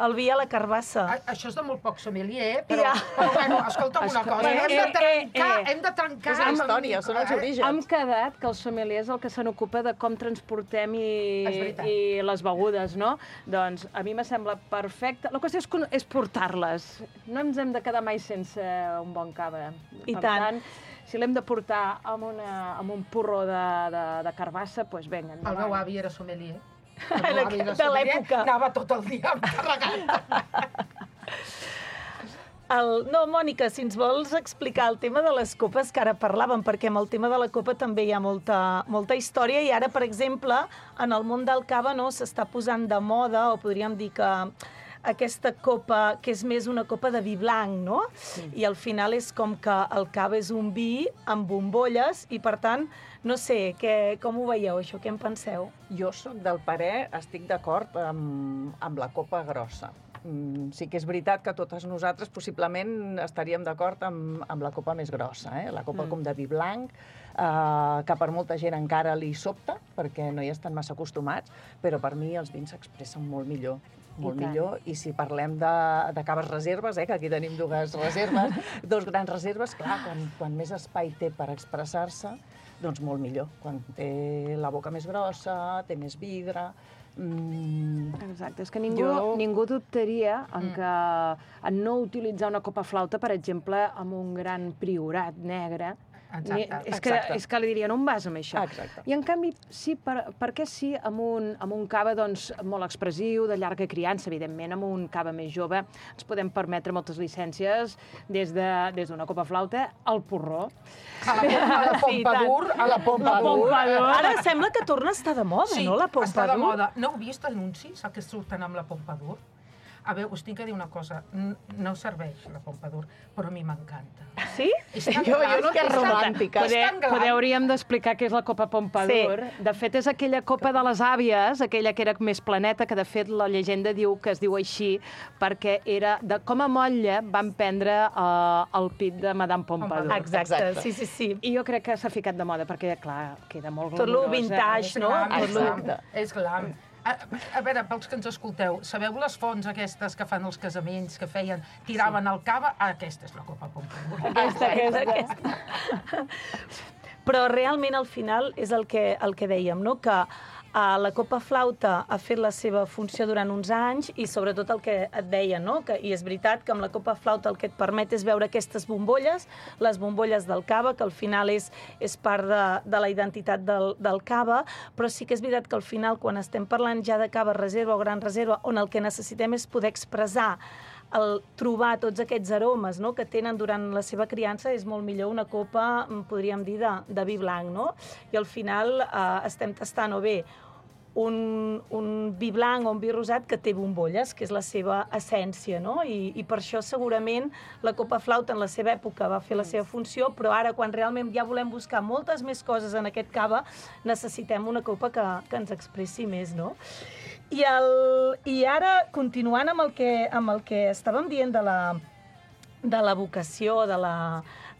el vi a la carbassa. A, això és de molt poc sommelier, però, Ja. però bueno, escolta'm una Escolta, cosa, eh, hem de eh, trencar, eh, eh. hem de trencar... És la història, són els Eh, orígens. Hem quedat que el sommelier és el que se n'ocupa de com transportem i, És veritat. i les begudes, no? Doncs a mi me sembla perfecte. La qüestió és, con- és portar-les. No ens hem de quedar mai sense un bon cava. I per tant. tant, si l'hem de portar amb, una, amb un porró de, de, de carbassa, doncs vinga, El endavant. meu avi era sommelier. El Era meu avi era de sommelier, l'època. anava tot el dia carregat. El... No, Mònica, si ens vols explicar el tema de les copes que ara parlàvem, perquè amb el tema de la copa també hi ha molta, molta història, i ara, per exemple, en el món del cava no s'està posant de moda, o podríem dir que aquesta copa, que és més una copa de vi blanc, no? Sí. I al final és com que el cava és un vi amb bombolles, i per tant, no sé, que, com ho veieu, això? Què en penseu? Jo sóc del parer, estic d'acord amb, amb la copa grossa. Mm, sí que és veritat que totes nosaltres possiblement estaríem d'acord amb, amb la copa més grossa, eh? La copa mm. com de vi blanc, eh, que per molta gent encara li sobta, perquè no hi estan massa acostumats, però per mi els vins s'expressen molt millor. molt I tant. millor, i si parlem de, de caves reserves, eh, que aquí tenim dues reserves, dos grans reserves, clar, quan, quan més espai té per expressar-se, doncs molt millor. Quan té la boca més grossa, té més vidre... Mm, Exacte, és que ningú, Jo- ningú dubtaria en, que, en no utilitzar una copa flauta, per exemple, amb un gran priorat negre. Exacte, Ni, és, que, exacte. és que li dirien, on vas amb això? Exacte. I en canvi, sí, per, per què sí amb un, amb un cava doncs, molt expressiu, de llarga criança, evidentment, amb un cava més jove, ens podem permetre moltes llicències des d'una de, des d'una copa flauta al porró. A la, a la Sí, tant. Pompadour, a la La Pompadour. Pompadour. Ara sembla que torna a estar de moda, Sí, no, la està de Pompadour? moda. No heu vist anuncis que surten amb la Pompadour? A veure, us tinc que dir una cosa. N- No serveix la Pompadour, però a mi m'encanta. Sí? És tan Jo- jo gran, no és tan- romàntica. és tan gran. Poder hauríem d'explicar què és la Copa Pompadour. Sí. De fet, és aquella copa de les àvies, aquella que era més planeta, que de fet la llegenda diu que es diu així perquè era de, com a motlle van prendre uh, el pit de Madame Pompadour. Exacte, Exacte. sí, sí, sí. I jo crec que s'ha ficat de moda perquè, clar, queda molt Tot lo glamurosa. vintage, És no? glam, és Exacte. glam, és glam. A, a veure, pels que ens escolteu, sabeu les fonts aquestes que fan els casaments, que feien, tiraven el cava? Ah, aquesta és la Copa Pompadour. Aquesta, aquesta. Però realment al final és el que, el que dèiem, no? que uh, la copa flauta ha fet la seva funció durant uns anys i sobretot el que et deia, no? que, i és veritat que amb la copa flauta el que et permet és veure aquestes bombolles, les bombolles del cava, que al final és, és part de, de la identitat del, del cava, però sí que és veritat que al final quan estem parlant ja de cava reserva o gran reserva, on el que necessitem és poder expressar el trobar tots aquests aromes, no?, que tenen durant la seva criança, és molt millor una copa, podríem dir, de, de vi blanc, no? I al final eh, estem tastant o bé un, un vi blanc o un vi rosat que té bombolles, que és la seva essència, no? I, i per això segurament la copa flauta en la seva època va fer la seva funció, però ara quan realment ja volem buscar moltes més coses en aquest cava, necessitem una copa que, que ens expressi més, no? I, el, i ara, continuant amb el que, amb el que estàvem dient de la, de la vocació, de la,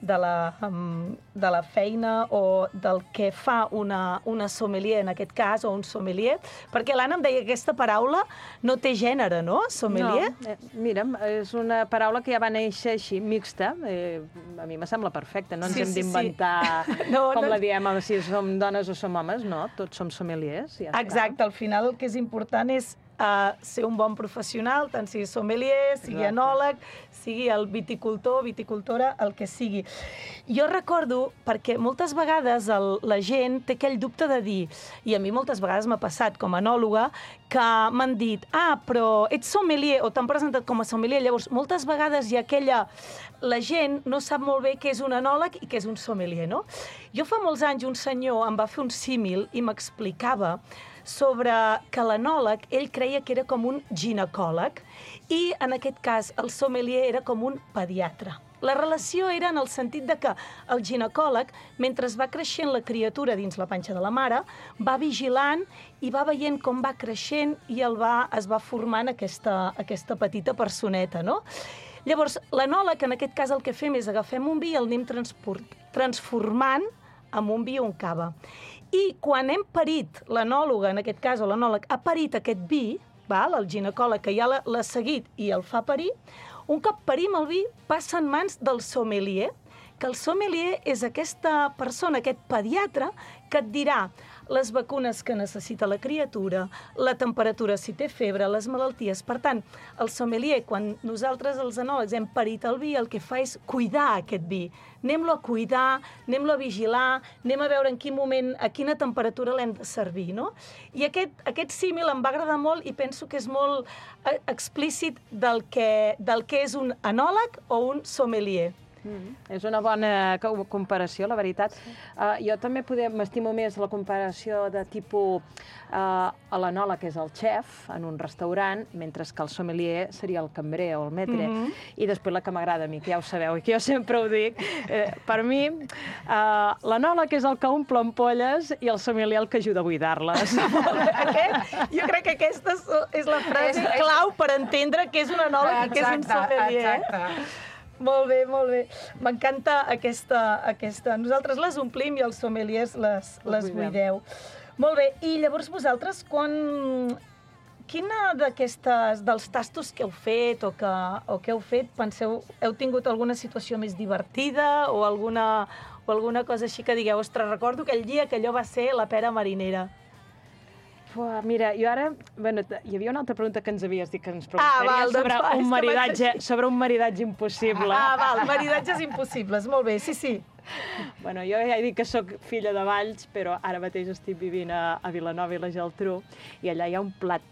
de la, um, de la feina o del que fa una, una sommelier, en aquest cas, o un sommelier, perquè l'Anna em deia que aquesta paraula no té gènere, no? Sommelier? No, eh, mira, és una paraula que ja va néixer així, mixta. Eh, a mi me sembla perfecte, no ens Sí, hem sí, d'inventar sí. No, com no. la diem, si som dones o som homes, no, tots som sommeliers. Ja està. Exacte, al final el que és important és uh, ser un bon professional, tant sigui sommelier, sigui Exacte. enòleg, sigui el viticultor, viticultora, el que sigui. Jo recordo, perquè moltes vegades el, la gent té aquell dubte de dir, i a mi moltes vegades m'ha passat com a enòloga, que m'han dit, ah, però ets sommelier, o t'han presentat com a sommelier, llavors moltes vegades hi ha aquella... La gent no sap molt bé què és un enòleg i què és un sommelier, no? Jo fa molts anys un senyor em va fer un símil i m'explicava sobre que l'enòleg, ell creia que era com un ginecòleg i, en aquest cas, el sommelier era com un pediatre. La relació era en el sentit de que el ginecòleg, mentre va creixent la criatura dins la panxa de la mare, va vigilant i va veient com va creixent i el va, es va formant aquesta, aquesta petita personeta, no? Llavors, l'enòleg, en aquest cas, el que fem és agafem un vi i el anem transformant en un vi o un cava. I quan hem parit, l'enòloga, en aquest cas, o l'enòleg, ha parit aquest vi, val? El ginecòleg que ja l'ha seguit i el fa parir, un cop parim el vi, passa en mans del sommelier, que el sommelier és aquesta persona, aquest pediatre, que et dirà les vacunes que necessita la criatura, la temperatura si té febre, les malalties. Per tant, el sommelier, quan nosaltres els enòlegs hem parit el vi, el que fa és cuidar aquest vi. Anem-lo a cuidar, anem-lo a vigilar, anem a veure en quin moment, a quina temperatura l'hem de servir, no? I aquest, aquest símil em va agradar molt i penso que és molt explícit del que, del que és un enòleg o un sommelier. Mm, és una bona comparació, la veritat. Sí. Uh, jo també m'estimo més la comparació de tipus uh, l'enòleg, que és el xef en un restaurant, mentre que el sommelier seria el cambrer o el maître. Mm-hmm. I després la que m'agrada a mi, que ja ho sabeu, i que jo sempre ho dic, eh, per mi uh, l'enòleg és el que omple ampolles i el sommelier el que ajuda a buidar-les. Aquest, jo crec que aquesta és la frase és, clau per entendre què és un enòleg exacte, i què és un sommelier. Exacte. Molt bé, molt bé. M'encanta aquesta, aquesta... Nosaltres les omplim i els sommeliers les, les buideu. Molt bé. I llavors vosaltres, quan... Quina d'aquestes, dels tastos que heu fet o que, o que heu fet, penseu, heu tingut alguna situació més divertida o alguna, o alguna cosa així que digueu, ostres, recordo aquell dia que allò va ser la pera marinera? Uah, mira, jo ara... Bueno, hi havia una altra pregunta que ens havies dit que ens preguntaria ah, val, sobre, doncs, un maridatge, sobre un maridatge impossible. Ah, val, maridatges impossibles, molt bé, sí, sí. Bueno, jo ja he dit que sóc filla de Valls, però ara mateix estic vivint a, a Vilanova i la Geltrú, i allà hi ha un plat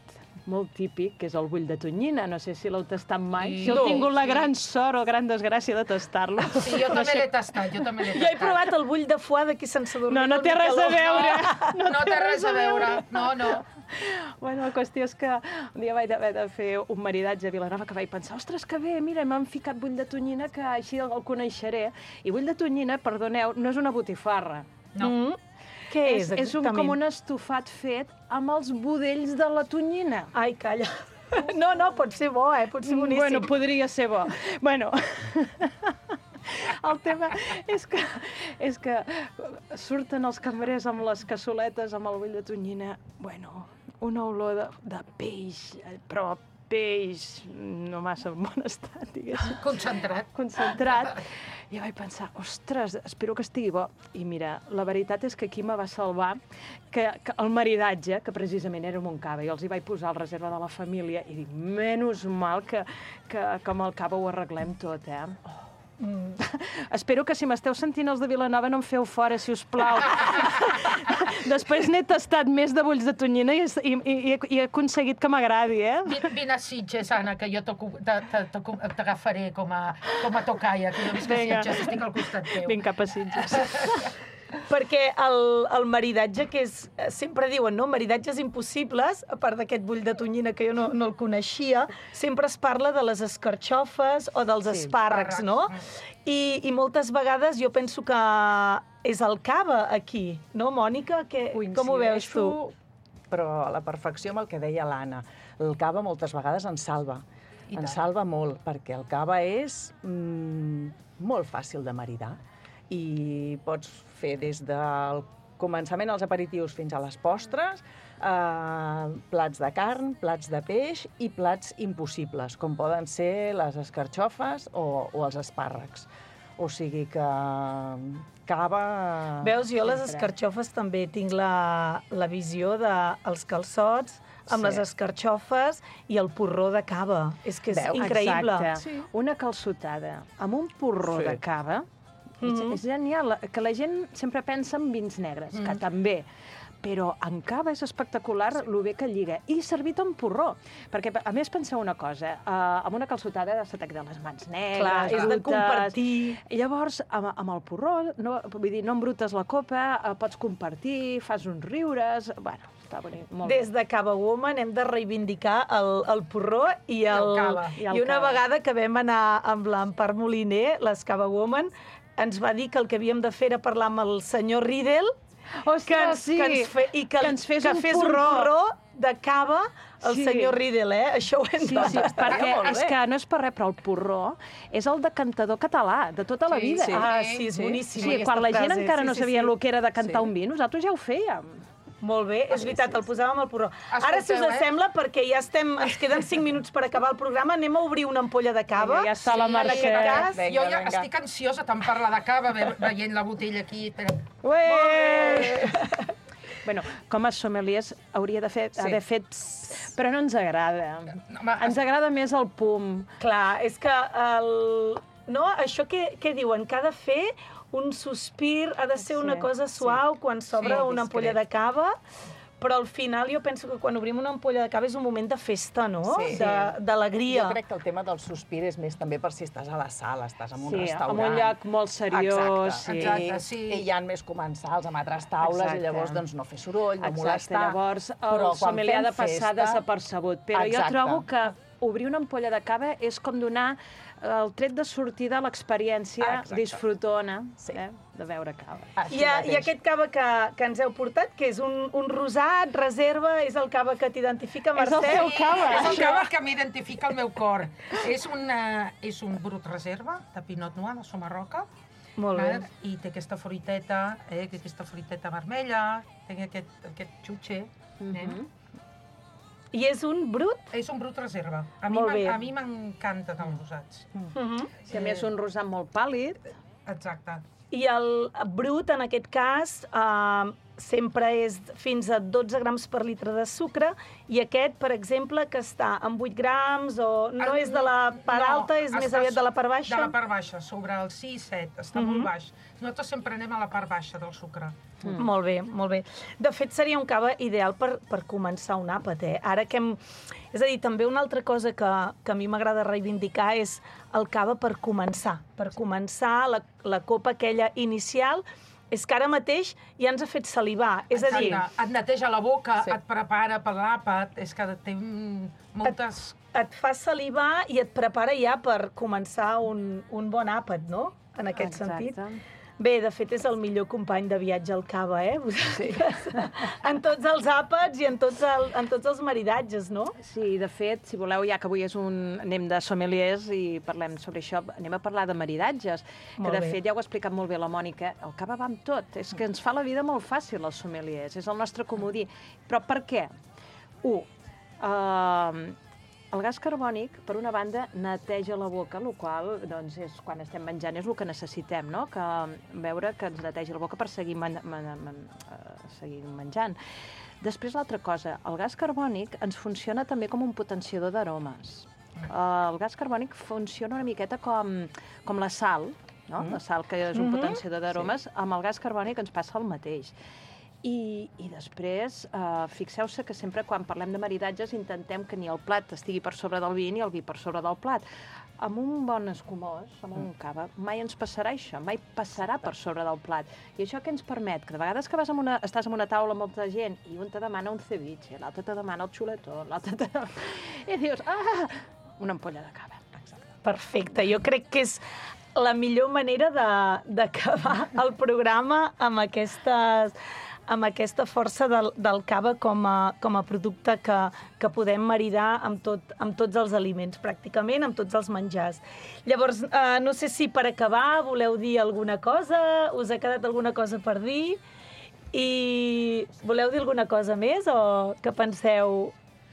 molt típic, que és el bull de tonyina. No sé si l'heu tastat mai. Sí, si heu tingut la gran sort o gran desgràcia de tastar-lo. Sí, jo també l'he tastat, jo també l'he tastat. Jo he provat el bull de foie d'aquí sense dormir. No, no té res a veure. No, no té res a veure. No, no. Bueno, la qüestió és que un dia vaig haver de fer un maridatge a Vilanova que vaig pensar, ostres, que bé, mira, m'han ficat bull de tonyina, que així el coneixeré. I bull de tonyina, perdoneu, no és una botifarra. No. Mm. Què és, és, és un, com un estofat fet amb els budells de la tonyina. Ai, calla. No, no, pot ser bo, eh? Pot ser boníssim. Bueno, podria ser bo. Bueno, el tema és que, és que surten els cambrers amb les cassoletes, amb el bull de tonyina. Bueno, una olor de, de peix, però peix no massa en bon estat, diguéssim. Concentrat. Concentrat. I vaig pensar, ostres, espero que estigui bo. I mira, la veritat és que aquí me va salvar que, que el maridatge, que precisament era un cava, jo els hi vaig posar al reserva de la família i dic, menys mal que, que, que amb el cava ho arreglem tot, eh? Oh. Mm. Espero que si m'esteu sentint els de Vilanova no em feu fora, si us plau. Després n'he tastat més de bulls de tonyina i, i, i, i he aconseguit que m'agradi, eh? Vine a Sitges, Anna, que jo t'agafaré com a, com a tocaia, que jo visc a Sitges, estic al costat teu. Vinc cap a Sitges. Perquè el, el maridatge, que és... Sempre diuen, no?, maridatges impossibles, a part d'aquest bull de tonyina que jo no, no el coneixia, sempre es parla de les escarxofes o dels Sí, espàrrecs, no? I, I moltes vegades jo penso que és el cava aquí, no, Mònica? Que, com ho veus tu? Però a la perfecció amb el que deia l'Anna. El cava moltes vegades ens salva. Ens salva molt, perquè el cava és mm, molt fàcil de maridar i pots fer des del començament als aperitius fins a les postres, eh, plats de carn, plats de peix i plats impossibles, com poden ser les escarxofes o, o els espàrrecs. O sigui que cava... Veus, jo les escarxofes també tinc la, la visió dels calçots amb Sí. les escarxofes i el porró de cava. És que és increïble. Exacte. Una calçotada amb un porró Sí. de cava és, Mhm. és genial, que la gent sempre pensa en vins negres, que també, però en cava és espectacular el bé que lliga. I servit amb porró. Perquè, a més, penseu una cosa, eh, amb una calçotada se te queden les mans negres, Clar, és de brutes. compartir. I llavors, amb, amb el porró, no, vull dir, no embrutes la copa, eh, pots compartir, fas uns riures... Bueno, està bonic, molt Des bé. de Cava Woman hem de reivindicar el, el porró i, el, el cava. I el I una cava. vegada que vam anar amb l'Empar Moliner, les Cava Woman, ens va dir que el que havíem de fer era parlar amb el senyor Riedel, Ostres, que ens, sí. que ens fe, i que, Que ens fes que un fes porró. un porró de cava el Sí. senyor Riedel, eh? Això ho hem Sí, de sí, perquè és que no és per res, però el porró és el decantador català de tota la Sí, vida. sí. Ah, sí, és boníssim Sí, aquesta quan la gent frase. encara Sí, no sí, sabia sí. el que era de cantar Sí. un vi, nosaltres ja ho fèiem. Molt bé, és veritat, el posàvem al porró. Ara, si us Escolteu, eh? sembla, perquè ja estem, ens queden cinc minuts per acabar el programa, anem a obrir una ampolla de cava. Vinga, ja està la En Mercè. aquest cas, Jo ja estic ansiosa tant parlar de cava, ve- veient la botella aquí. Espera. Bueno, com a sommeliers hauria de fer, Sí. haver fet... pss, Però no ens agrada. Ens agrada més el pum. Clar, és que el... No, això que, que diuen, que ha de fer un sospir, ha de ser una Sí, cosa suau quan s'obre Sí, una ampolla de cava, però al final jo penso que quan obrim una ampolla de cava és un moment de festa, no? Sí. De- D'alegria. Jo crec que el tema del sospir és més també per si estàs a la sala, estàs en un Sí, restaurant. en un lloc molt seriós, sí. Exacte, sí. I, I hi ha més comensals amb altres taules Exacte. i llavors doncs, no fer soroll, no Exacte, molestar. llavors el Però quan sommelier ha de fem passar festa- desapercebut. Però Exacte. jo trobo que obrir una ampolla de cava és com donar el tret de sortida a l'experiència Exacte. disfrutona eh, de beure cava. I, a, I aquest cava que, que ens heu portat, que és un, un rosat, reserva, és el cava que t'identifica, És el Mercè? teu cava. És el cava que m'identifica el meu cor. És, una, és un brut reserva de Pinot Noir de Somarroca. Molt bé. val? I té aquesta fruiteta, eh, aquesta fruiteta vermella, té aquest, aquest xutxer. eh? I és un brut? És un brut reserva. A mi Molt m'en- bé. a mi m'encanten els rosats. Si a més un rosat molt pàl·lid. Exacte. I el brut, en aquest cas, eh, sempre és fins a dotze grams per litre de sucre, i aquest, per exemple, que està en vuit grams, o no és de la part No, alta, és més està aviat de la part baixa? De la part baixa, sobre el sis set, està Mhm. molt baix. Nosaltres sempre anem a la part baixa del sucre. Mm. Molt bé, molt bé. De fet, seria un cava ideal per, per començar un àpat, eh? Ara que hem... És a dir, també una altra cosa que, que a mi m'agrada reivindicar és el cava per començar. Per començar la, la copa aquella inicial, és que ara mateix ja ens ha fet salivar. És a dir... Exacte. Et neteja la boca, Sí. et prepara per l'àpat, és que té mm, moltes... Et, et fa salivar i et prepara ja per començar un, un bon àpat, no? En aquest Exacte. sentit. Bé, de fet, és el millor company de viatge al cava, eh? Sí. En tots els àpats i en tots, el, en tots els maridatges, no? Sí, de fet, si voleu, ja que avui és un... anem de sommeliers i parlem sobre això, anem a parlar de maridatges, Molt que de bé. fet ja ho ha explicat molt bé la Mònica, el cava va amb tot, és que ens fa la vida molt fàcil als sommeliers, és el nostre comodí. Però per què? Un, uh, el gas carbònic, per una banda, neteja la boca, el qual, doncs, és, quan estem menjant és el que necessitem, no? Que veure que ens neteja la boca per seguir, man, man, man, uh, seguir menjant. Després, l'altra cosa, el gas carbònic ens funciona també com un potenciador d'aromes. Uh, el gas carbònic funciona una miqueta com, com la sal, no? Mm. La sal, que és un Mhm. potenciador d'aromes, sí. Amb el gas carbònic ens passa el mateix. I, i després, eh, fixeu-se que sempre quan parlem de maridatges intentem que ni el plat estigui per sobre del vi ni el vi per sobre del plat. amb un bon escumós, amb un cava, mai ens passarà això, mai passarà per sobre del plat. I això què ens permet? Que de vegades que vas amb una, estàs en una taula amb molta gent i un te demana un ceviche, l'altre te demana el xuletó, l'altre te demana... I dius, ah, una ampolla de cava. Perfecte, jo crec que és la millor manera d'acabar el programa amb aquestes... amb aquesta força del, del cava com a, com a producte que, que podem maridar amb, tot, amb tots els aliments, pràcticament, amb tots els menjars. Llavors, eh, no sé si per acabar voleu dir alguna cosa, us ha quedat alguna cosa per dir, i voleu dir alguna cosa més o que penseu...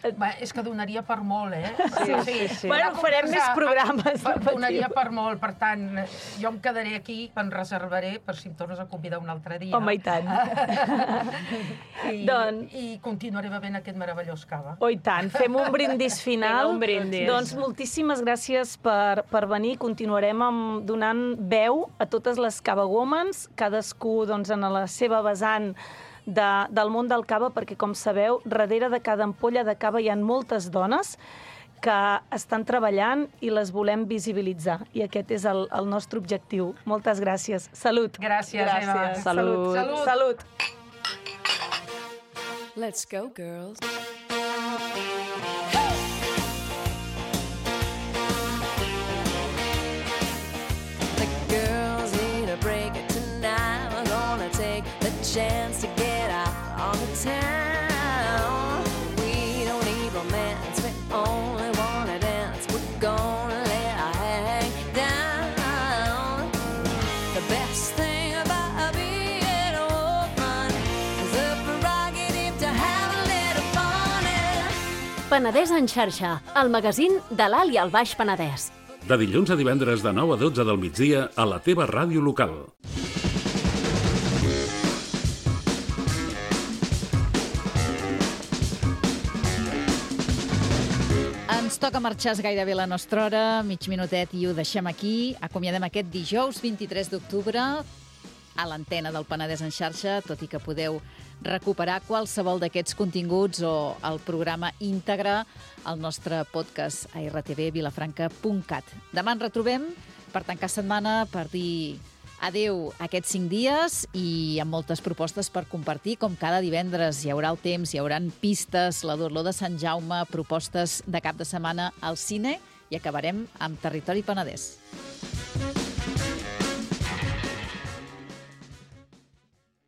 Bé, és que donaria per molt, eh? Sí, sí, sí. Bueno, farem més programes. Donaria per molt, per tant, jo em quedaré aquí, em reservaré per si em tornes a convidar un altre dia. Home, i tant. I, doncs... I continuaré bevent aquest meravellós cava. Oh, i tant. Fem un brindis final. Vinga, un brindis. Doncs moltíssimes gràcies per, per venir. Continuarem amb, donant veu a totes les Cava Womans, cadascú doncs, en la seva vessant De, del món del cava, perquè, com sabeu, darrere de cada ampolla de cava hi ha moltes dones que estan treballant i les volem visibilitzar. I aquest és el, el nostre objectiu. Moltes gràcies. Salut. Gràcies, gràcies. Eva. Salut. Salut. Salut. Let's go, girls. The girls need a break tonight. We're gonna take the chance to get out on the town. We don't need romance, we only wanna dance. We're gonna let our hang down. The best thing about being a woman is the prerogative to have a little fun. Penedès en xarxa, el magazín de l'Alt i el Baix Penedès. De dilluns a divendres de nou a dotze del migdia a la teva ràdio local. Ens toca marxar gairebé la nostra hora, mig minutet i ho deixem aquí. Acomiadem aquest dijous vint-i-tres d'octubre a l'antena del Penedès en xarxa, tot i que podeu recuperar qualsevol d'aquests continguts o el programa íntegre al nostre podcast a erre te ve vilafranca punt cat. Demà ens retrobem per tancar setmana, per dir adeu aquests cinc dies i amb moltes propostes per compartir. Com cada divendres hi haurà el temps, hi haurà pistes, la d'Olor de Sant Jaume, propostes de cap de setmana al cine i acabarem amb Territori Penedès.